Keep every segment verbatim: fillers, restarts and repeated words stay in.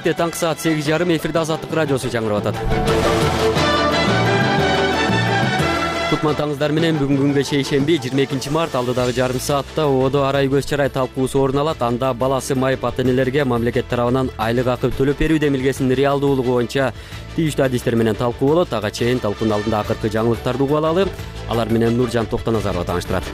бетте таңкы саат сегиз жарым эфирде Азаттык радиосу жаңырап атат. Кутмантаңыздар менен бүгүн күнгө шейшемби жыйырма экинчи март алдыдагы жарым саатта ободо арай көз чарай талкуусу орун алат. Анда баласы майып ата энелерге мамлекет тарабынан айлык акы төлөп берүү демилгесинин реалдуулугу боюнча тийиштүү адистер менен талкуу болот. Ага чейин талкуунун алдында акыркы жаңылыктарды угуп алалы. Алар менен Нуржан Токтоназарова тааныштырат.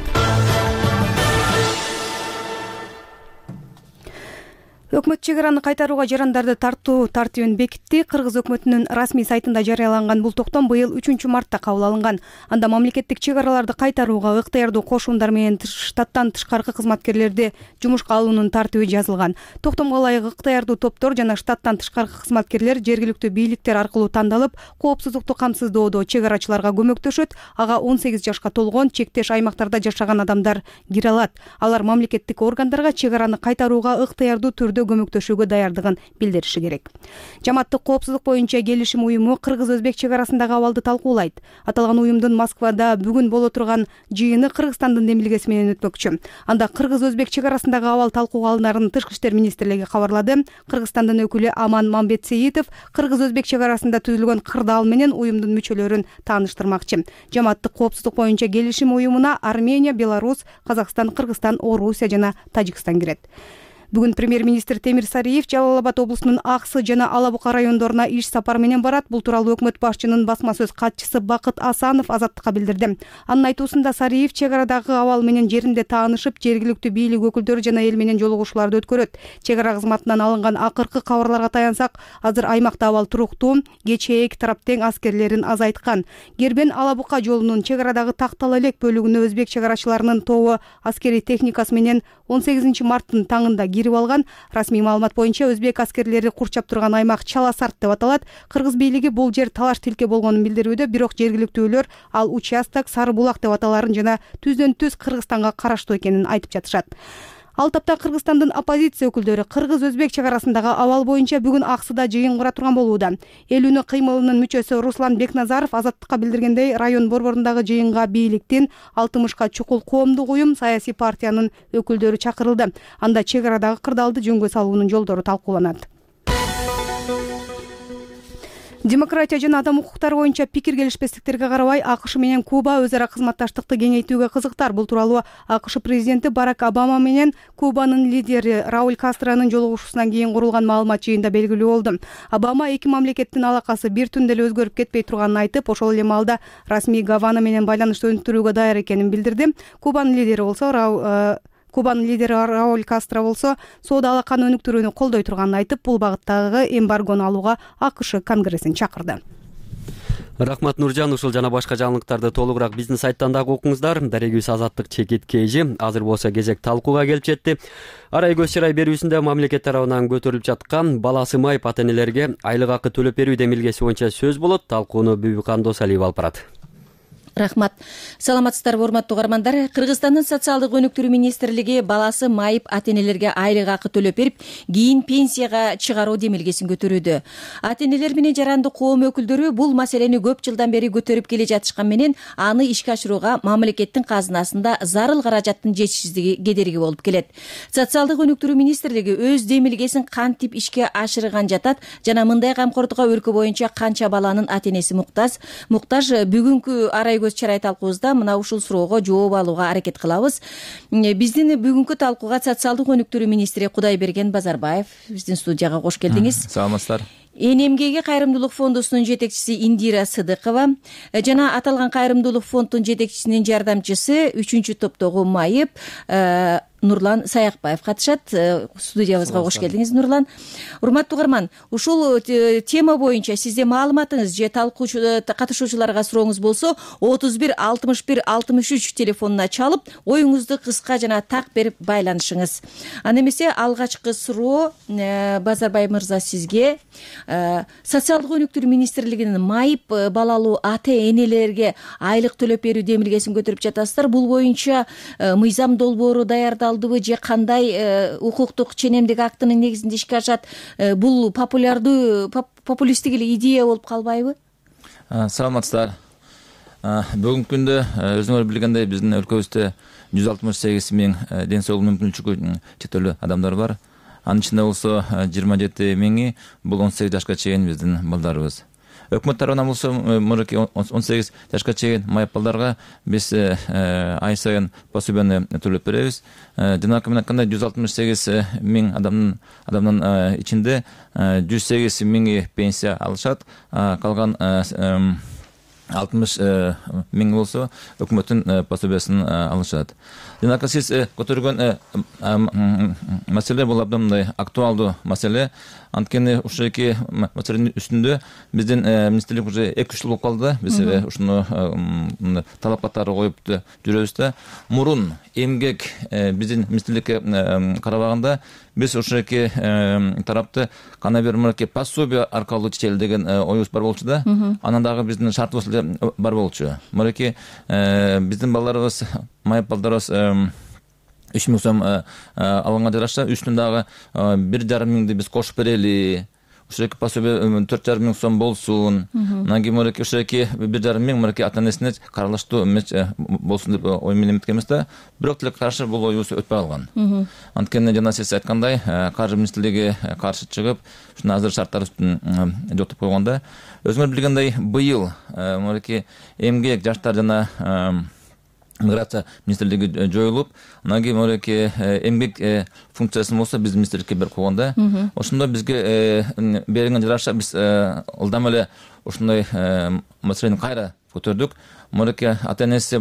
Өкмөт чек араны кайтарууга жарандарды тартуу тартибин бекитти. Кыргыз өкмөтүнүн расмий сайтында жарыяланган бул токтом быйыл үчүнчү мартта кабыл алынган. Анда мамлекеттик чек араларды кайтарууга ыктыярдуу кошумдар менен штаттан тышкаркы кызматкерлерди жумушка алуунун тартиби жазылган. Токтомго ылайык ыктыярдуу топтор жана штаттан тышкаркы кызматкерлер жергиликтүү бийликтер аркылуу тандалып, коопсуздукту камсыздоодо чек арачыларга көмөктөшөт. Ага он сегиз жашка толгон чектеш аймактарда жашаган адамдар кире алат. Алар мамлекеттик органдарга чек араны кайтарууга ыктыярдуу түрдө көмөктөшүүгө даярдыгын билдириши керек. Жамааттык коопсуздук боюнча келишим уюму кыргыз-өзбек чек арасындагы абалды талкуулайт. Аталган уюмдун Москвада бүгүн боло турган жыйыны Кыргызстандын демилгеси менен өтмөкчү. Анда кыргыз-өзбек чек арасындагы абал талкууга алынарын Тышкы иштер министрлиги кабарлады. Кыргызстандын өкүлү Аман Мамбетсеитов кыргыз-өзбек чек арасында түзүлгөн кырдаал менен уюмдун мүчөлөрүн тааныштырмакчы. Жамааттык коопсуздук боюнча келишим уюмуна Армения, Беларусь, Казакстан, Кыргызстан, Орусия жана Тажикстан кирет. Бүгүн премьер-министр Темир Сариев Жалал Абад облусунун Аксы жана Ала Бука райондоруна иш сапар менен барат. Бул тууралуу өкмөт башчынын басма сөз катчысы Бакыт Асанов Азаттыкка билдирди. Анын айтуусунда Сариев чек арадагы абал менен жеринде таанышып, жергиликтүү бийлик өкүлдөрү жана эл менен жолугушууларды өткөрөт. Чек ара кызматынан алынган акыркы кабарларга таянсак, азыр аймакта абал туруктуу, кечээк тарап тең аскерлерин азайткан. Гербен Ала Бука жолунун чек арадагы Тактал элек бөлүгүнө өзбек чек арачыларынын тобу аскерий техникасы менен он сегизинчи марттын таңында кирип алган. Расмий маалымат боюнча өзбек аскерлери курчап турган аймак Чаласарт деп аталат. Кыргыз бийлиги бул жер талаш тилке болгонун билдирүүдө, бирок жергиликтүүлөр ал участок Сары Булак деп аталарын жана түздөн түз Кыргызстанга караштуу экенин айтып жатышат. Ал тапта Кыргызстандын оппозиция өкүлдөрү кыргыз-өзбек чек арасындагы абал боюнча бүгүн Аксыда жыйын кура турган болууда. Эл үнү кыймылынын мүчөсү Руслан Бекназаров Азаттыкка билдиргендей, район борборундагы жыйынга бийликтин алтымышка чукул коомдук уюм, саясий партиянын өкүлдөрү чакырылды. Анда чек арадагы кырдаалды жөнгө салуунун жолдору талкууланат. Демократия жана адам укуктары боюнча пикир келишпестиктерге карабай АКШ менен Куба өз ара кызматташтыкты кеңейтүүгө кызыктар. Бул тууралуу АКШ президенти Барак Обама менен Кубанын лидери Рауль Кастронун жолугушуусунан кийин курулган маалымат жыйында белгилүү болду. Обама эки мамлекеттин алакасы бир түндө эле өзгөрүп кетпей турганын айтып, ошол эле маалда расмий Гавана менен байланышты өнүктүрүүгө даяр экенин билдирди. Кубанын лидери болсо Кубанын лидери Рауль Кастро болсо соода алаканы өнүктүрүүнү колдой турганын айтып, бул багыттагы эмбаргону алууга АКШ Конгрессин чакырды. Рахмат Нуржан. Ушул жана башка жаңылыктарды толугураак биздин сайттан дагы окуңуздар. Дарегибиз Азаттык чекиткейжи. Азыр болсо кезек талкууга келип жетти. Арай көз чарай берүүсүндө мамлекет тарабынан көтөрүлүп жаткан баласы майып ата энелерге айлык акы төлөп берүү демилгеси боюнча сөз болот. Талкууну Бүбүкан Досалиева алып барат. Рахмат. Саламатсыздарбы, урматтуу угармандар. Кыргызстандын социалдык өнүктүрүү министрлиги баласы майып ата энелерге айлык акы төлөп берип, кийин пенсияга чыгаруу демилгесин көтөрүүдө. Ата энелер менен жарандык коом өкүлдөрү бул маселени көп жылдан бери көтөрүп келе жатышкан менен аны ишке ашырууга мамлекеттин казынасында зарыл каражаттын жетишсиздиги кедерги болуп келет. Социалдык өнүктүрүү министрлиги өз демилгесин кантип ишке ашырган жатат жана мындай камкордукка өлкө боюнча канча баланын ата энеси муктаж? Муктаж бүгүнкү арай көз чарай талкуубузда мына ушул суроого жооп алууга аракет кылабыз. Биздин бүгүнкү талкууга социалдык өнүктүрүү министри Кудайберген Базарбаев биздин студияга кош келдиңиз. Саламатсыздар. Эн эм ге кайрымдуулук фондусунун жетекчиси Индира Сыдыкова жана аталган кайрымдуулук фонддун жетекчисинин жардамчысы үчүнчү топтогу майып Нурлан Саякбаев катышат. Студиябызга кош келдиңиз, Нурлан. Урматтуу угарман, ушул тема боюнча сизде маалыматыңыз же талкуу катышуучуларга сурооңуз болсо отуз бир алтымыш бир алтымыш үч телефонуна чалып, оюңузду кыска жана так берип байланышыңыз. Аны эмесе алгачкы суроо Базарбаев мырза сизге. Социалдык өнүктүрүү министрлигинин майып балалуу ата энелерге айлык төлөп берүү демилгесин көтөрүп жатасыздар. Бул боюнча мыйзам долбоору даярдалдыбы же кандай укуктук ченемдик актынын негизинде ишке ашат? Бул популярдуу популисттик эле идея болуп калбайбы? Саламатсыздар. Бүгүнкү күндө өзүңөр билгендей биздин өлкөбүздө жүз алтымыш сегиз миң ден соолук мүмкүнчүлүгү чектелүү адамдар бар. Анын ичинде болсо жыйырма жети миңи бул он сегиз жашка чейин биздин балдарыбыз. Өкмөт тарабынан болсо мынакей он сегиз жашка чейин майып балдарга биз ай сайын пособияны төлөп беребиз. Жана мен айткандай жүз алтымыш сегиз миң адамдын адамдын ичинде жүз сегиз миңи пенсия алышат, калган алтымыш миң болсо өкмөттүн пособиясын алышат. Жана сиз көтөргөн маселе бул абдан мындай актуалдуу маселе. Анткени ушул эки маселенин үстүндө биздин министрлик уже эки үч жыл болуп калды. Биз ушуну талап катары коюп жүрөбүз да. Мурун эмгек биздин министрликке карабаганда биз ушул эки тарапты кандай бир мынакей пособия аркылуу чечели деген оюбуз бар болчу да. Анан дагы биздин шартыбыз бар болчу. Мынакей биздин балдарыбыз, майып балдарыбыз үч миң сом алганга жараша үстүн дагы бир жарым миңди биз кошуп берели. Ушул эки пособия төрт жарым миң сом болсун. Анан кийин мынакей ушул эки бир жарым миң мынакей ата-энесине каралыштуу болсун деп ой менен эметкенбиз да. Бирок деле каршы бул оюбуз өтпөй калган. Анткени жана сиз айткандай, каржы министрлиги каршы чыгып, ушуну азыр шарттар үстүн жок деп койгонда, өзүңөр билгендей, быйыл мынакей эмгек, жаштар жана миграция министрлиги жоюлуп, анан кийин мынакей эмгек функциясын болсо биздин министрликке берип койгонда, ошондо бизге берилген жараша биз ылдам эле ушундай маселени кайра көтөрдүк. Мынакей ата-энеси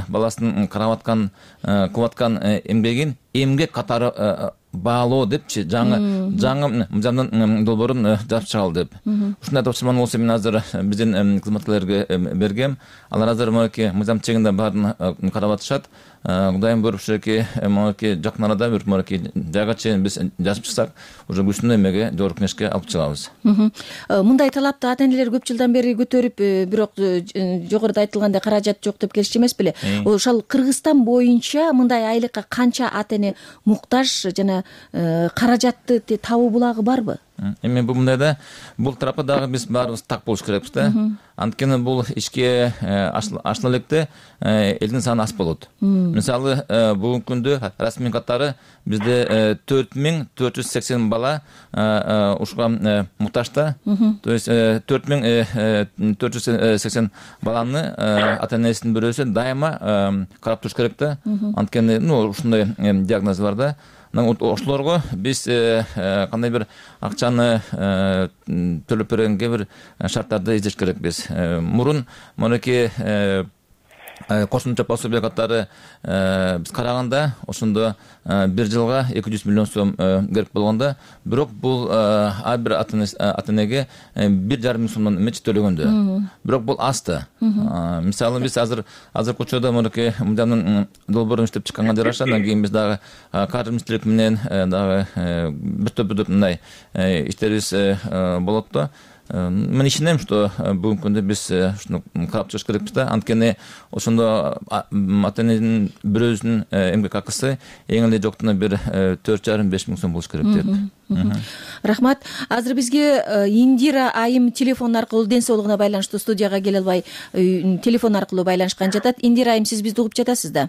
баласынын карап аткан, кылып аткан эмгегин эмгек катары баалоо депчи, жаңы жаңы мыйзамдын долбоорун жазып чыгалы деп. Ушундай тапшырманы болсо мен азыр биздин кызматкерлерге бергем. Алар азыр мынакей мыйзам чегинде баарын карап атышат. Кудайым буйруп ушул эки мынакей жакын арада бир мынакей жайга чейин биз жазып чыксак, уже күчтүү эмеге жогорку кеңешке алып чыгабыз. Мындай талапты ата-энелер көп жылдан бери көтөрүп, бирок жогоруда айтылгандай каражат жок деп келишчү эмес беле? Ошол Кыргызстан боюнча мындай айлыкка канча ата-эне муктаж жана каражатты табуу булагы барбы? Эми бул мындай да, бул тарапта дагы биз баарыбыз так болуш керекпиз да. Анткени бул ишке ашына электе элдин саны аз болот. Мисалы, бүгүнкү күндө расмий катары бизде төрт миң төрт жүз сексен бала ушуга муктаж да. То есть төрт миң төрт жүз сексен баланы ата-энесинин бирөөсү дайыма карап туруш керек да. Анткени, ну, ушундай диагноз бар да. Ошолорго биз кандай бир акчаны төлөп бергенге бир шарттарды издеш керекпиз. Мурун мынакей кошумча пособия катары биз караганда ошондо бир жылга эки жүз миллион сом керек болгондо, бирок бул ар бир ата-энеге бир жарым миң сомдон эмес төлөгөндө. Бирок бул аз да. Мисалы биз азыр азыр көчөдө мынакей мыйзамдын долбоорун иштеп чыкканга жараша, андан кийин биз дагы каржы министрлиги менен дагы бир топ бир топ мындай иштерибиз болот да. Мен ишенем, что бүгүнкү күндө биз ушуну карап чыгыш керекпиз да. Анткени ошондо ата-эненин бирөөсүнүн эмгек акысы эң эле жоктуна бир төрт жарым беш миң сом болуш керек деп. Рахмат. Азыр бизге Индира айым телефон аркылуу ден соолугуна байланыштуу студияга келе албай телефон аркылуу байланышкан жатат. Индира айым, сиз бизди угуп жатасыз да?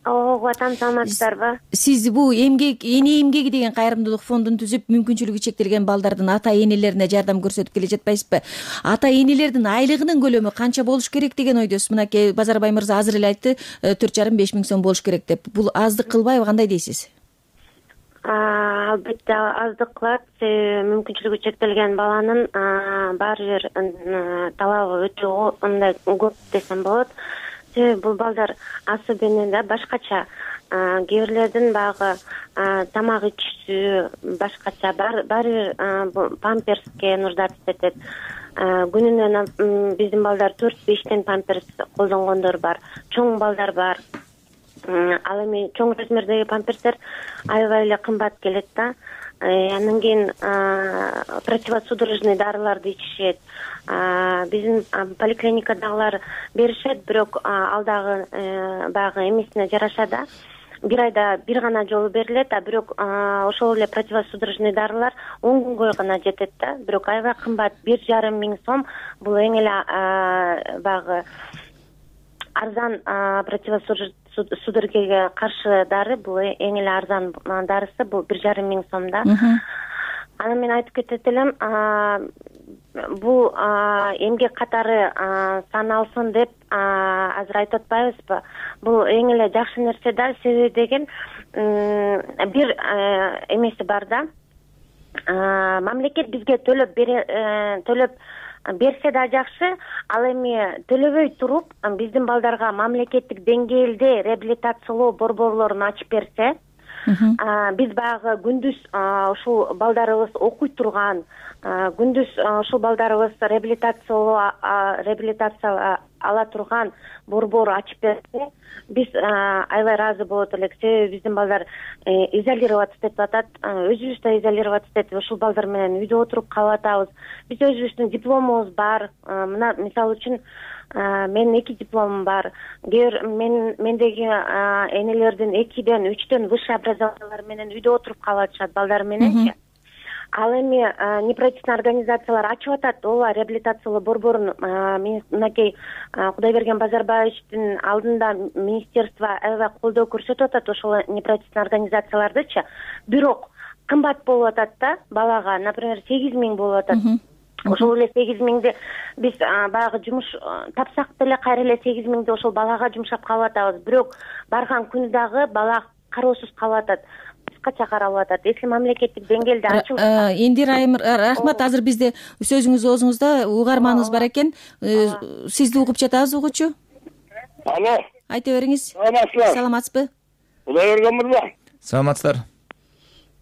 Ооба, атам саламатсыздарбы? Сиз бул эмгек, эне эмгеги деген кайрымдуулук фондун түзүп, мүмкүнчүлүгү чектелген балдардын ата-энелерине жардам көрсөтүп келе жатпайсызбы? Ата-энелердин айлыгынын көлөмү канча болуш керек деген ойдосуз? Мынакей Базарбай мырза азыр эле айтты, төрт жарым беш миң сом болуш керек деп. Бул аздык кылбайбы, кандай дейсиз? Албетте аздык кылат. Мүмкүнчүлүгү чектелген баланын баары бир талабы өтө мындай көп десем болот. Бул балдар особенно башкача, кээ бирлердин багы тамак ичүүсү башкача, баары бир памперске нуждаться этет. Күнүнө биздин балдар төрт бештен памперс колдонгондор бар, чоң балдар бар. Ал эми чоң размердеги памперстер аябай эле кымбат келет да. Андан кийин противосудорожный дарыларды ичишет. Биздин поликлиникадагылар беришет, бирок ал дагы баягы эмесине жараша да. Бир айда бир гана жолу берилет, а бирок ошол эле противосудорожный дарылар он күнгө гана жетет да. Бирок аябай кымбат, бир жарым миң сом. Бул эң эле баягы арзан противосудорогага каршы дары, бул эң эле арзан дарысы, бул бир жарым миң сомдо. Анан мен айтып кетет элем, бул эмгек катары саналсын деп азыр айтып атпайбызбы? Бул эң эле жакшы нерсе да, себеби деген бир эмеси бар да. Мамлекет бизге төлөп бере төлөп берсе да жакшы, ал эми төлөбөй туруп биздин балдарга мамлекеттик деңгээлде реабилитациялоо борборлорун ачып берсе, биз баягы күндүз ушул балдарыбыз окуй турган, күндүз ушул балдарыбыз реабилитациялоо реабилитация ала турган борбор ачып берсе, биз аябай ыраазы болот элек. Себеби биздин балдар изолироваться деп атат, өзүбүз да изолироваться деп ушул балдар менен үйдө отуруп калып атабыз. Биз өзүбүздүн дипломубуз бар. Мына мисалы үчүн менин эки дипломум бар. Мен мендеги энелердин экиден, үчтөн высшее образованиялар менен үйдө отуруп калып атышат балдар мененчи. Ал эми неправительственный организациялар ачып атат, ооба, реабилитациялоо борборун. Мынакей Кудайберген Базарбаевичтин алдында министерство аябай колдоо көрсөтүп атат ошол неправительственный организациялардычы. Бирок кымбат болуп атат да балага, например, сегиз миң болуп атат. Ошол эле сегиз миңди биз баягы жумуш тапсак деле кайра эле сегиз миңди ошол балага жумшап калып атабыз. Бирок барган күнү дагы бала кароосуз калып атат. Кача каралып атат. Если мамлекеттик деңгээлде ачылса. Индира айым, рахмат. Азыр бизде сөзүңүз оозуңузда угарманыбыз бар экен. Сизди угуп жатабыз, угуучу. Алло. Айта бериңиз. Саламатсызбы? Саламатсызбы? Кудайберген мырза. Саламатсыздар.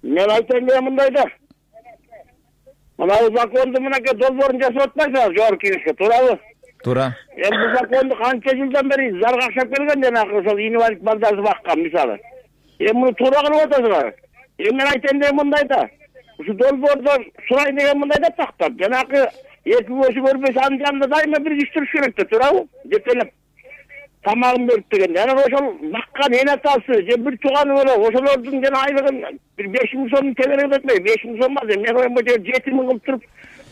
Мен айтайын деген мындай да. Мына законду мынакей долбоорун жасап атпайсыңар жогорку кеңешке, туурабы? Туура. Эми бул законду канча жылдан бери зарга акчап келген, жанагы ошол инвалид балдарды баккан мисалы. Эми муну туура кылып атасыңар. Эми мен айтайын деген мындай да. Ушу долбоордон сурайын деген мындай да тактап, жанагы эки көзү көрбөйсө анын жанында дайыма бир киши туруш керек да, туурабы? Жетелеп тамагын берип деген. Жана ошол баккан эне атасы же бир тууганы боло, ошолордун жана айлыгын бир беш миң сомдун тегерегин өтмөй, беш миң сом эмес, мен оюм боюнча жети миң кылып туруп,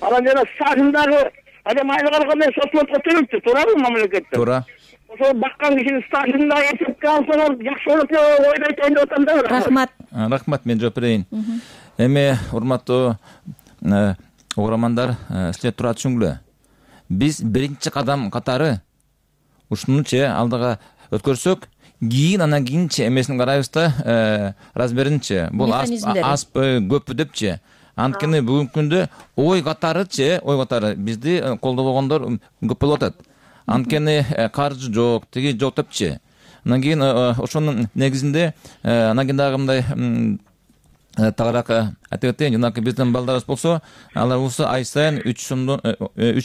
анан жана стажындагы адам айлык алгандай соцлотко төлөйт, туурабы мамлекетте? Туура. Ошол баккан кишинин стажында эсепке алсаңар жакшы болот деп ойлойт деп атам да. Рахмат. Рахмат, мен жооп берейин. Эми урматтуу угармандар, силер туура түшүнгүлө. Биз биринчи кадам катары ушунучу алдыга өткөрсөк, кийин анан кийинчи эмесин карайбыз да, размеринчи. Бул азбы, көппү депчи. Анткени бүгүнкү күндө ой катарычы, ой катары бизди колдобогондор көп болуп атат. Анткени каржы жок, тиги жок депчи. Анан кийин ошонун негизинде анан кийин дагы мындай тагыраак айтып кетейин, жанагы биздин балдарыбыз болсо, алар болсо ай сайын үч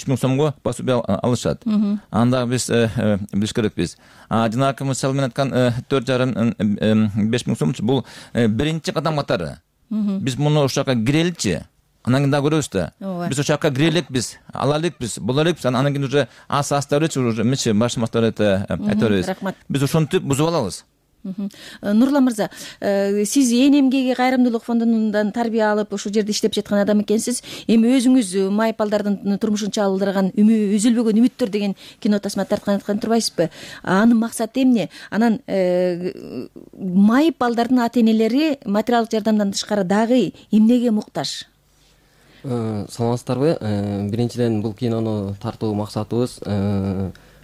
миң сомго пособие алышат. Анда биз билиш керекпиз. А жанагы мисалы мен айткан төрт жарым беш миң сом бул биринчи кадам катары. Биз муну ошол жака киреличи. Анан кийин дагы көрөбүз да. Биз ошол жака киреликпиз, алалыкпыз, болалыкпыз. Анан кийин уже ас астарычы уже мечи башмактар айта беребиз. Биз ошонтип бузуп алабыз. Нурлан мырза, сиз Ээн эмгеги кайрымдуулук фондунан тарбия алып ушул жерде иштеп жаткан адам экенсиз. Эми өзүңүз майып балдардын турмушун чалдырган үзүлбөгөн үмүттөр деген кино тасма тарткан айткан турбайсызбы? Анын максаты эмне? Анан майып балдардын ата энелери материалдык жардамдан тышкары дагы эмнеге муктаж? Саламатсыздарбы? Биринчиден бул кинону тартуу максатыбыз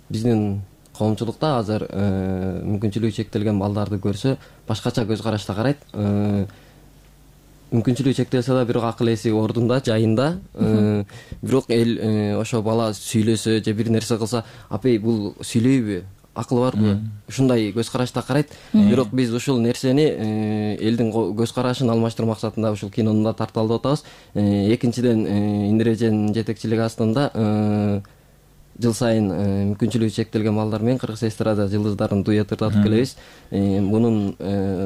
биздин коомчулукта азыр мүмкүнчүлүгү чектелген балдарды көрсө башкача көз карашта карайт. Мүмкүнчүлүгү чектелсе да бирок акыл эси ордунда, жайында. Бирок эл ошо бала сүйлөсө же бир нерсе кылса, апей бул сүйлөйбү? Акылы барбы? Ушундай көз карашта карайт. Бирок биз ушул нерсени элдин көз карашын алмаштыруу максатында ушул кинону да тарталып атабыз. Экинчиден, Индира эженин жетекчилиги астында жыл сайын мүмкүнчүлүгү чектелген балдар менен кыргыз эстрада жылдыздарын дуэттатып келебиз. Мунун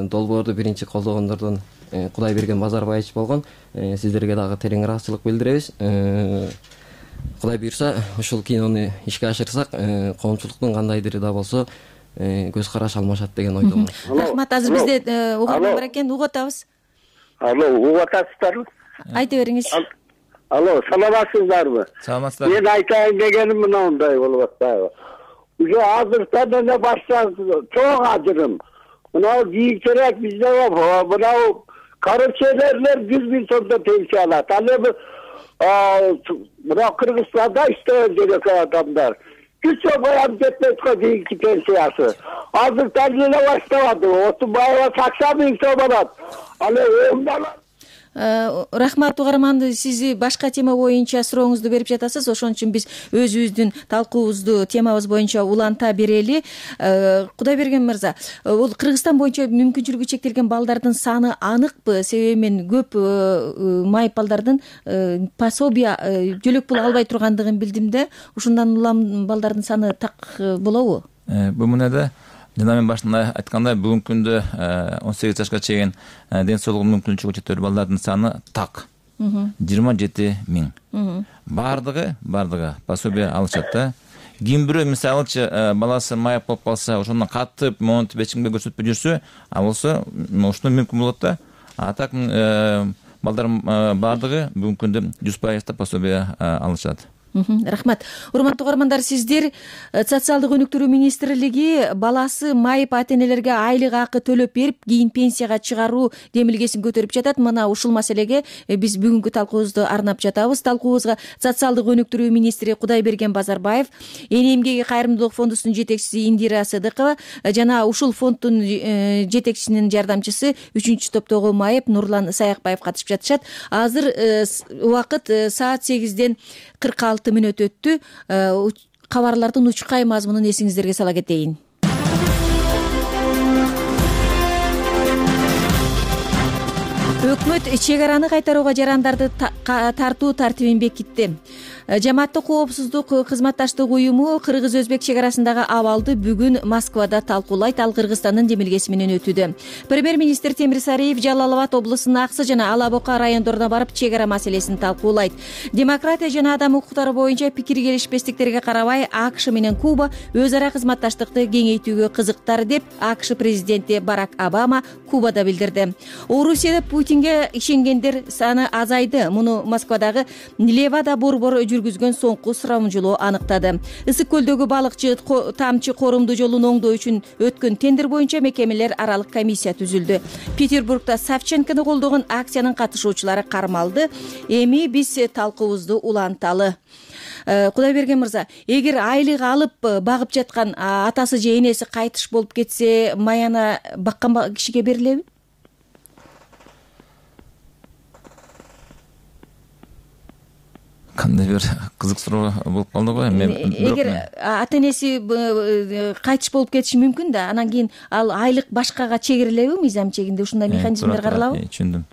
долбоорду биринчи колдогондордон Кудайберген Базарбаевич болгон. Сиздерге дагы терең ыраазычылык билдиребиз. Кудай буйрса, ушул кинону ишке ашырсак, коомчулуктун кандайдыр да болсо көз караш алмашат деген ойдомун. Рахмат. Азыр бизде угарман бар экен, угуп атабыз. Алло, угуп атасыздарбы? Айта бериңиз. Алло, саламатсыздарбы? Саламатсыздар. Мен айтайын дегеним мындай болуп атпайбы? уже азыртан эле башка чоң ажырым. Мына кийинчерээк бизде мынау коррупциялерлер жүз миң сомдон пенсия алат. Ал эми мына Кыргызстанда иштеген жерек адамдар жүз сом аям жетпейт го кийинки пенсиясы. Азыртан эле баштабады. Отунбаева саксон миң сом алат. Ал эми Рахмат угарман, сиз башка тема боюнча сурооңузду берип жатасыз, ошон үчүн биз өзүбүздүн талкуубузду темабыз боюнча уланта берели. Кудайберген мырза, бул Кыргызстан боюнча мүмкүнчүлүгү чектелген балдардын саны аныкпы? Себеби мен көп майып балдардын пособия, жөлөк пул албай тургандыгын билдим да. Ушундан улам балдардын саны так болобу? Бул мындай жана мен башында айткандай, бүгүнкү күндө он сегиз жашка чейин ден соолугу мүмкүнчүлүгү чектелүү балдардын саны так жыйырма жети миң. Бардыгы, бардыгы пособие алышат да. Ким бирөө мисалычы баласы майып болуп калса, ошону катып, монтип, эч кимге көрсөтпөй жүрсө, ал болсо ушуну мүмкүн болот да. А так балдардын бардыгы бүгүнкү күндө жүз пайыз пособие алышат. Рахмат. Урматтуу угармандар, сиздер Социалдык өнүктүрүү министрлиги баласы майып ата-энелерге айлык акы төлөп берип, кийин пенсияга чыгаруу демилгесин көтөрүп жатат. Мына ушул маселеге биз бүгүнкү талкуубузду арнап жатабыз. Талкуубузга Социалдык өнүктүрүү министри Кудайберген Базарбаев, Эне эмгеги кайрымдуулук фондусунун жетекчиси Индира Сыдыкова жана ушул фонддун жетекчисинин жардамчысы үчүнчү топтогу майып Нурлан Саякбаев катышып жатышат. Азыр убакыт саат сегизден кырк алты мүнөт өттү. Кабарлардын учкай мазмунун эсиңиздерге сала кетейин. Өкмөт чек араны кайтарууга жарандарды тартуу тартибин бекитти. Жамааттык коопсуздук кызматташтык уюму кыргыз-өзбек чек арасындагы абалды бүгүн Москвада талкуулайт. Ал Кыргызстандын демилгеси менен өтүүдө. Премьер-министр Темирсариев Жалал Абад облусунун Аксы жана Ала Бока райондоруна барып чек ара маселесин талкуулайт. Демократия жана адам укуктары боюнча пикир келишпестиктерге карабай АКШ менен Куба өз ара кызматташтыкты кеңейтүүгө кызыктар деп АКШ президенти Барак Обама Кубада билдирди. Орусияда Путинге ишенгендер саны азайды. Муну Москвадагы Левада борбор жүргүзгөн соңку сурамжылоо аныктады. Ысык көлдөгү балыкчы тамчы корумду жолун оңдоо үчүн өткөн тендер боюнча мекемелер аралык комиссия түзүлдү. Петербургда Савченкону колдогон акциянын катышуучулары кармалды. Эми биз талкуубузду уланталы. Кудайберген мырза, эгер айлык алып багып жаткан атасы же энеси кайтыш болуп кетсе, маяна баккан кишиге берилеби? Кандай бир кызык суроо болуп калды го. Эгер ата-энеси кайтыш болуп кетиши мүмкүн да, анан кийин ал айлык башкага чегерилеби, мыйзам чегинде ушундай механизмдер каралабы? Түшүндүм.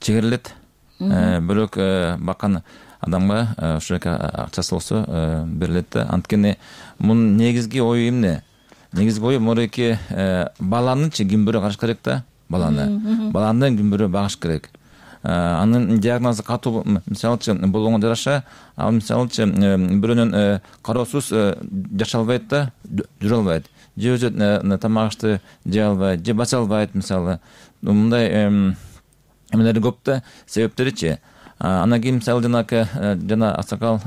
Чегерилет. Бирок баккан адамга ушул акчасы болсо берилет да. Анткени мунун негизги ою эмне? Негизги ою мореки баланычы ким бирөө караш керек да, баланы. Баланы ким бирөө багыш керек. Анын диагнозу катуу, мисалычы болгонго жараша, ал мисалычы бирөөнүн кароосуз жашай албайт да, жүрө албайт. Же өзү тамак ашты жей албайт, же баса албайт, мисалы. Мындай эмелери көп да, себептеричи. Анан кийин мисалы жанакы жана Аксакал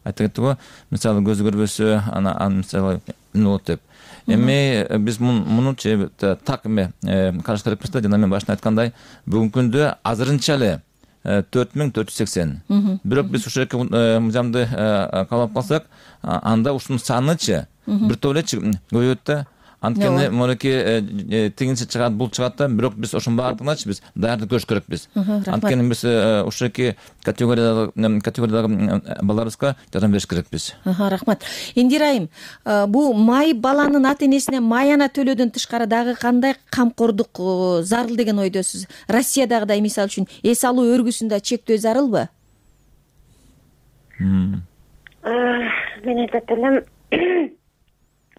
айта кетти го, мисалы көзү көрбөсө, анан мисалы эмне болот деп. Эми биз мунучу так эме караш керекпиз да, жана мен башында айткандай, бүгүнкү күндө азырынча эле төрт миң төрт жүз сексен. Бирок биз ушул мыйзамды каалап калсак, анда ушунун санычы бир топ эле көбөйөт да. Анткени мореки тигинчи чыгат, бул чыгат да, бирок биз ошонун баардыгыначы биз даярдык көрүш керекпиз. Анткени биз ушул эки категориядагы категориядагы балдарыбызга жардам бериш керекпиз. Рахмат. Индира айым, бул майып баланын ата-энесине маяна төлөөдөн тышкары дагы кандай камкордук зарыл деген ойдосуз? Россиядагыдай мисалы үчүн эс алуу өргүсүндө чектөө зарылбы? Мен айтат элем,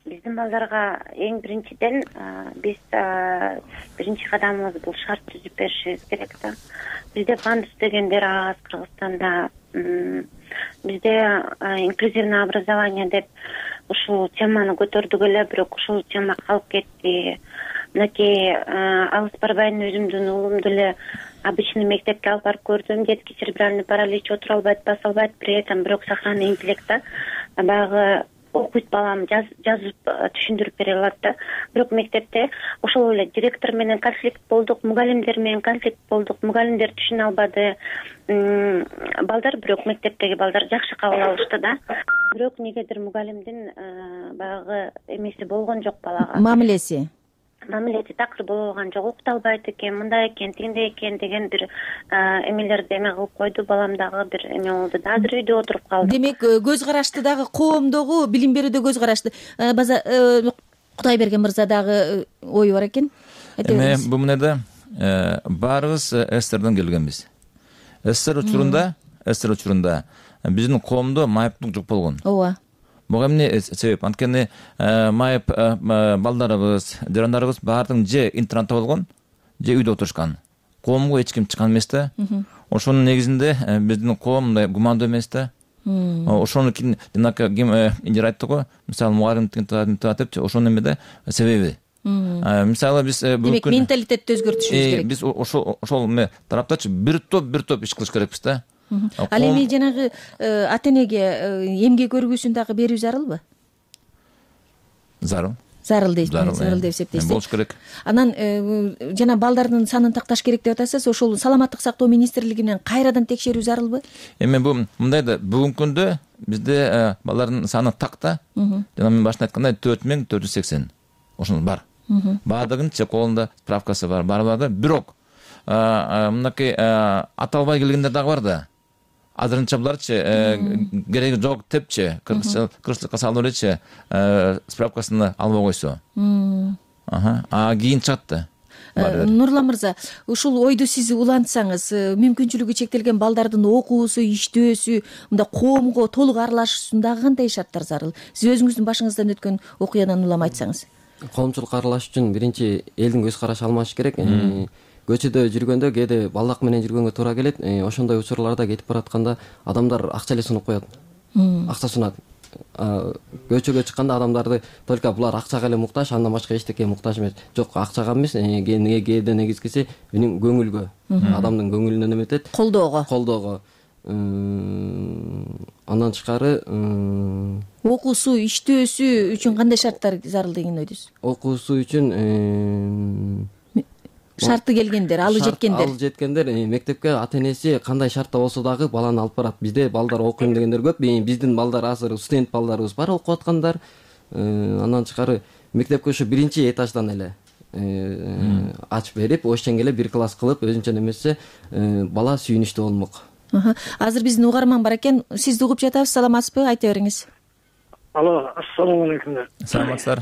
биздин балдарга эң биринчиден биз биринчи кадамыбыз бул шарт түзүп беришибиз керек да. Бизде пандус дегендер аз Кыргызстанда. Бизде инклюзивный образование деп ушул теманы көтөрдүк эле, бирок ушул тема калып кетти. Мынакей алыс барбайын, өзүмдүн уулумду эле обычный мектепке алып барып көрдүм. Детский церебральный паралич, отура албайт, баса албайт, при этом бирок сохранный интеллект да. баягы окуйт балам жазып түшүндүрүп бере алат да. Бирок мектепте ошол эле директор менен конфликт болдук, мугалимдер менен конфликт болдук, мугалимдер түшүнө албады. Балдар бирок мектептеги балдар жакшы кабыл алышты да. Бирок негедир мугалимдин баягы эмеси болгон жок балага. Мамилеси. Мамилеси такыр боло алган жок, укталбайт экен, мындай экен, тигиндей экен деген бир эмелерди эме кылып койду. Балам дагы бир эме болду да. Азыр үйдө отуруп калды. Демек, көз карашты дагы коомдогу билим берүүдө көз карашты. База Кудайберген мырза дагы ою бар экен. Эме бул менде баарыбыз СССРден келгенбиз. СССР учурунда, СССР учурунда биздин коомдо майыптык жок болгон. Ооба. Буга эмне себеп? Анткени майып балдарыбыз, жарандарыбыз баардыгы же интернатта болгон, же үйдө отурушкан. Коомго эч ким чыккан эмес да. Ошонун негизинде биздин коом мындай гумандуу эмес да. Ошону ким ким инжир айтты го, мисалы мугалимдин татып, ошонун эмеде себеби. Мисалы биз демек менталитетти өзгөртүшүбүз керек. Биз ошол ошол эме тараптачы бир топ бир топ иш кылыш керекпиз да. Ал эми жанагы ата энеге эмгек өргүсүн дагы берүү зарылбы? Зарыл. Зарыл дейсиз, зарыл деп эсептейсиз. Болуш керек. Анан жана балдардын санын такташ керек деп атасыз. Ошол саламаттык сактоо министрлиги менен кайрадан текшерүү зарылбы? Эми бул мындай да, бүгүнкү күндө бизде балдардын саны такта. Жана мен башында айткандай төрт миң төрт жүз сексен. Ошол бар. Баардыгынын колунда справкасы бар. Баары бирок мынакей аталбай келгендер дагы бар да. Азырынча буларчы кереги жок депчи, кырсыкка салып элечи справкасын албай койсо. Аха, а кийин чыкты. Нурлан мырза, ушул ойду сиз улантсаңыз, мүмкүнчүлүгү чектелген балдардын окуусу, иштөөсү, мында коомго толук аралашуусундагы кандай шарттар зарыл? Сиз өзүңүздүн башыңыздан өткөн окуядан улам айтсаңыз. Коомчулук аралаш үчүн биринчи элдин көз карашы алмаш керек. Көчөдө жүргөндө кээде балдак менен жүргөнгө туура келет. Ошондой учурларда кетип баратканда адамдар акча эле сунуп коет. Акча сунат. Көчөгө чыкканда адамдарды только булар акчага эле муктаж, андан башка эчтеке муктаж эмес. Жок, акчага эмес, кээде негизгиси менин көңүлгө, адамдын көңүлүнөн эметет. Колдоого. Колдоого. Андан тышкары окуусу, иштөөсү үчүн кандай шарттар зарыл деген ойдусуз? Окуусу үчүн шарты келгендер, алы жеткендер. Алы жеткендер мектепке ата энеси кандай шартта болсо дагы баланы алып барат. Бизде балдар окуйм дегендер көп. Биздин балдар азыр студент балдарыбыз бар окуп аткандар. Андан тышкары мектепке ошо биринчи этаждан эле ачып берип, ошчен эле бир класс кылып, өзүнчө немесе бала сүйүнүчтүү болмок. Азыр биздин угарман бар экен. Сизди угуп жатабыз, саламатсызбы? Айта бериңиз. Алло, ассаламу алейкум. Саламатсыздар.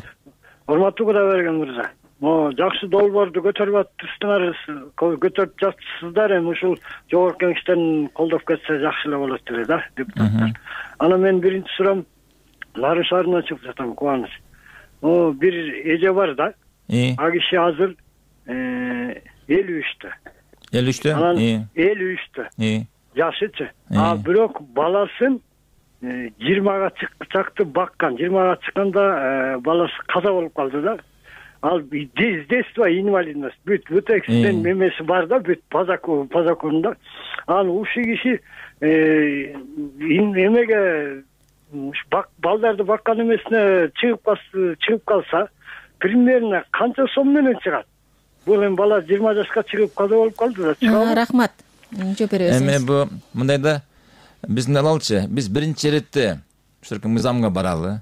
Урматтуу Кудайберген мырза. Mo жакшы долбоорду көтөрүп аттыңыздар, көтөрүп жатсыздар. Эми ушул жогорку кеңештен колдоп кетсе жакшы эле болот деле да, депутаттар. Анан мен биринчи суроом Нары шаарынан чыгып жатам, Кубаныч. О, бир эже бар да. А киши азыр элүү үчтө. элүү үчтө? Анан элүү үчтө. Жашычы. А бирок баласын жыйырмага чакты баккан. жыйырмага чыкканда баласы каза болуп калды да. Ал с детства инвалидность. Бүт бүт эксиден мемеси бар да, бүт пазаконда. Ал ушул киши эмеге балдарды баккан эмесине чыгып калса, примерно канча сом менен чыгат? Бул эми бала жыйырма жашка чыгып каза болуп калды да, чыгабы? Рахмат. Жооп беребиз. Эми бу мындай да, биздин алалчы, биз биринчи иретте ушул мыйзамга баралы,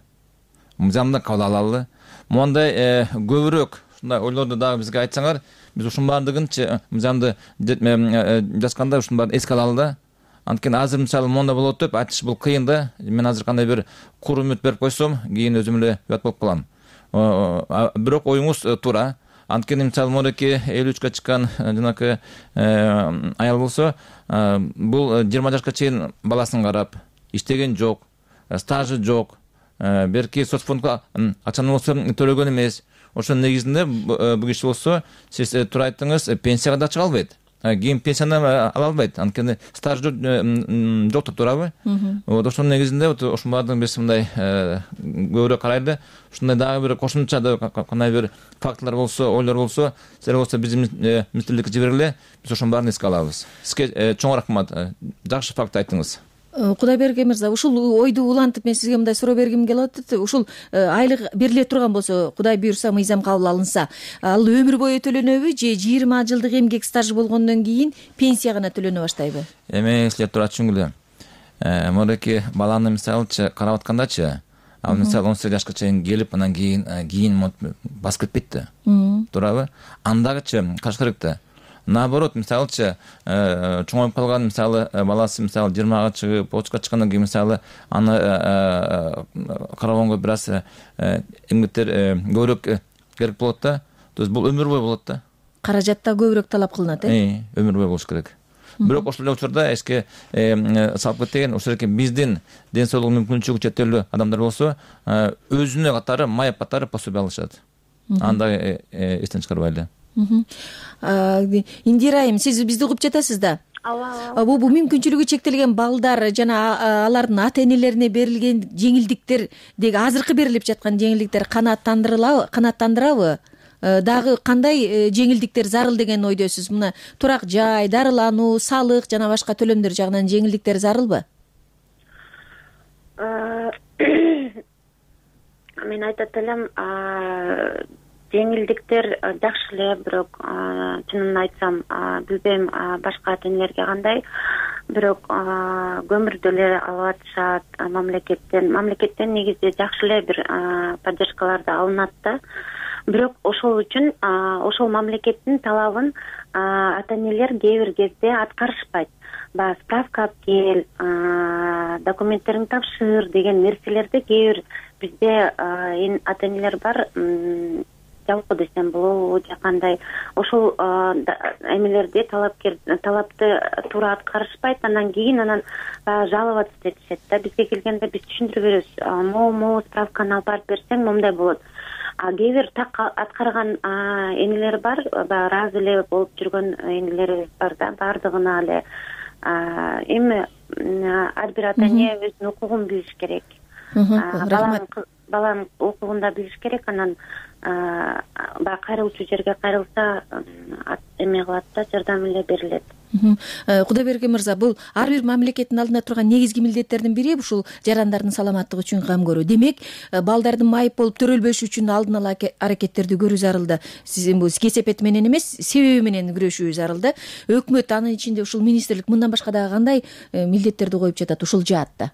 мыйзамды кабыл алалы. Мондай көбүрөөк ушундай ойлорду дагы бизге айтсаңар, биз ушунун баардыгынчы мыйзамды жазганда ушунун баарын эске алалы да. Анткени азыр мисалы монда болот деп айтыш бул кыйын да. Мен азыр кандай бир кур үмүт берип койсом, кийин өзүм эле уят болуп калам. Бирок оюңуз туура. Анткени мисалы мореке элүү үчкө чыккан жанакы аял болсо, бул жыйырма жашка чейин баласын карап, иштеген жок, стажы жок. Берки соцфондго акчаны болсо төлөгөн эмес. Ошонун негизинде бул киши болсо, сиз туура айттыңыз, пенсияга да чыга албайт. Кийин пенсияны ала албайт. Анткени стаж жок да, туурабы? Вот ошонун негизинде ошонун баардыгын биз мындай көбүрөөк карайлы. Ушундай дагы бир кошумча кандай бир фактылар болсо, ойлор болсо, силер болсо биздин министрликке жибергиле, биз ошонун баарын эске алабыз. Сизге чоң рахмат. Жакшы факт айттыңыз. Кудайберген мырза, ушул ойду улантып мен сизге мындай суроо бергим келип атат. Ушул айлык бериле турган болсо, Кудай буйрса, мыйзам кабыл алынса, ал өмүр бою төлөнөбү же жыйырма жылдык эмгек стажы болгондон кийин пенсия гана төлөнө баштайбы? Эми силер туура түшүнгүлө. Мынакей баланы мисалычы карап аткандачы, ал мисалы он сегиз жашка чейин келип, анан кийин кийин басып кетпейт да. Туурабы? Андагычы каш керек да. Наоборот, мисалычы чоңоюп калган мисалы баласы мисалы жыйырмага чыгып, отузга чыккандан кийин мисалы аны карабанга бир аз эмгектер көбүрөөк керек болот да. То есть бул өмүр бою болот да. Каражатта көбүрөөк талап кылынат, э? Өмүр бою болуш керек. Бирок ошол эле учурда эске салып кеткен ошол эки биздин ден соолугу мүмкүнчүлүгү чектелүү адамдар болсо, өзүнө катары майып катары пособие алышат. Анда эстен чыгарбайлы. Индира айым, сиз бизди угуп жатасыз да? Ооба. Бул мүмкүнчүлүгү чектелген балдар жана алардын ата-энелерине берилген жеңилдиктер деги азыркы берилип жаткан жеңилдиктер канааттандырылабы, канааттандырабы? Дагы кандай жеңилдиктер зарыл деген ойдосуз? Мына турак жай, дарылануу, салык жана башка төлөмдөр жагынан жеңилдиктер зарылбы? Мен айтат элем, жеңилдиктер жакшы эле, бирок чынын айтсам, билбейм башка ата-энелерге кандай, бирок көмүрдү эле алып атышат мамлекеттен. Мамлекеттен негизи жакшы эле бир поддержкалар да алынат да. Бирок ошол үчүн ошол мамлекеттин талабын ата-энелер кээ бир кезде аткарышпайт. Баягы справка алып кел, документтериңди тапшыр деген нерселерди кээ бир бизде ата-энелер бар, жалпы десем болобу же кандай, ошол эмелерди талапкер талапты туура аткарышпайт, анан кийин анан баягы жаловаться этишет да. Бизге келгенде биз түшүндүрүп беребиз, могу справканы алып барып берсең момундай болот. А кээ бир так аткарган энелер бар, баягы ыраазы эле болуп жүргөн энелерибиз бар да, баардыгына эле. Эми ар бир ата-эне өзүнүн укугун билиш керек. Баланын укугун да билиш керек, анан баягы кайрылчу жерге кайрылса эме кылат да, жардам эле берилет. Кудайберген мырза, бул ар бир мамлекеттин алдында турган негизги милдеттердин бири ушул жарандардын саламаттыгы үчүн кам көрүү. Демек, балдардын майып болуп төрөлбөшү үчүн алдын ала аракеттерди көрүү зарылды. Сиздин бул кесепети менен эмес, себеби менен күрөшүү зарылды. Өкмөт анын ичинде ушул министрлик мындан башка дагы кандай милдеттерди коюп жатат ушул жаатта?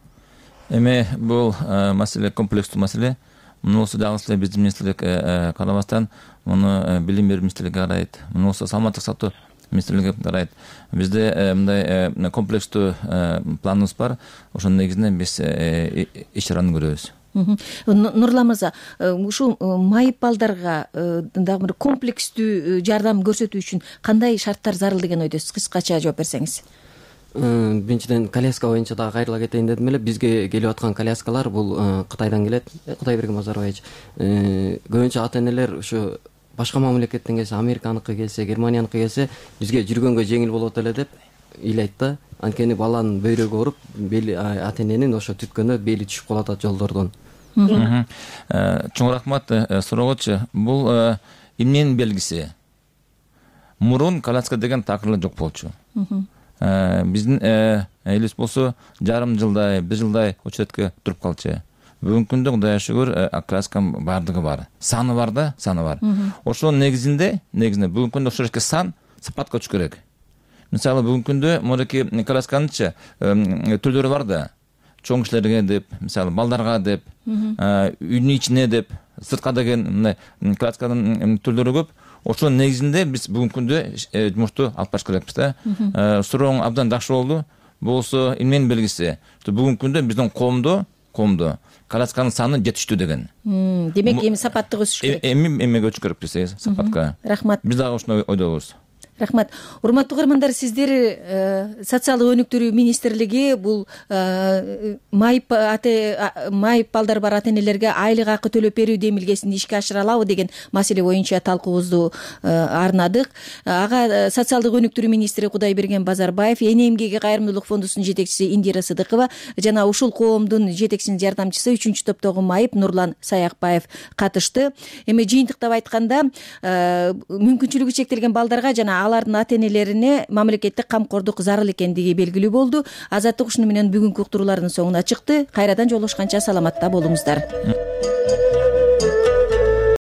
Эми бул маселе комплекстүү маселе. Муну болсо дагы эле биздин министрлик карабастан муну билим берүү министрлиги карайт. Муну болсо саламаттык сактоо министрлиги карайт. Бизде мындай комплекстүү планыбыз бар. Ошонун негизинде биз иш чараны көрөбүз. Нурлан мырза, ушул майып балдарга дагы бир комплекстүү жардам көрсөтүү үчүн кандай шарттар зарыл деген ойдосуз? Кыскача жооп берсеңиз. Биринчиден коляска боюнча дагы кайрыла кетейин дедим эле. Бизге келип аткан коляскалар бул Кытайдан келет. Кудайберген Базарбаевич, көбүнчө ата-энелер ушу башка мамлекеттен келсе, Американыкы келсе, Германияныкы келсе, бизге жүргөнгө жеңил болот эле деп ыйлайт да. Анткени баланын бөйрөгү ооруп, бели ата-эненин ошо түткөнү бели түшүп калат атат жолдордон. Чоң рахмат суроогочу. Бул эмненин белгиси? Мурун коляска деген такыр жок болчу. Биздин элибиз болсо жарым жылдай, бир жылдай очередке туруп калчу. Бүгүнкү күндө Кудайга шүгүр колясканын баардыгы бар. Саны бар да, саны бар. Ошонун негизинде, негизинде бүгүнкү күндө ошол жерге сан сапатка түшүш керек. Мисалы бүгүнкү күндө мынакей колясканычы түрлөрү бар да. Чоң кишилерге деп, мисалы балдарга деп, үйдүн ичине деп, сыртка деген мындай колясканын түрлөрү көп. Ошонун негизинде биз бүгүнкү күндө жумушту алып барыш керекпиз да. Сурооң абдан жакшы болду. Болсо эмненин белгиси? Бүгүнкү күндө биздин коомдо, коомдо колясканын саны жетиштүү деген. Демек эми сапаттык өсүш керек. Эми эмеге өтүш керек биз сапатка. Рахмат. Биз дагы ошондой ойдобуз. Рахмат. Урматтуу угармандар, сиздер социалдык өнүктүрүү министрлиги бул майып майып балдар бар ата-энелерге айлык акы төлөп берүү демилгесин ишке ашыра алабы деген маселе боюнча талкуубузду арнадык. Ага социалдык өнүктүрүү министри Кудайберген Базарбаев, Эне эмгеги кайрымдуулук фондусунун жетекчиси Индира Сыдыкова жана ушул коомдун жетекчисинин жардамчысы үчүнчү топтогу майып Нурлан Саякбаев катышты. Эми жыйынтыктап айтканда, мүмкүнчүлүгү чектелген балдарга жана алардын ата энелерине мамлекеттик камкордук зарыл экендиги белгилүү болду. Азаттык ушуну менен бүгүнкү уктуруулардын соңуна чыкты. Кайрадан жолугушканча саламатта болуңуздар.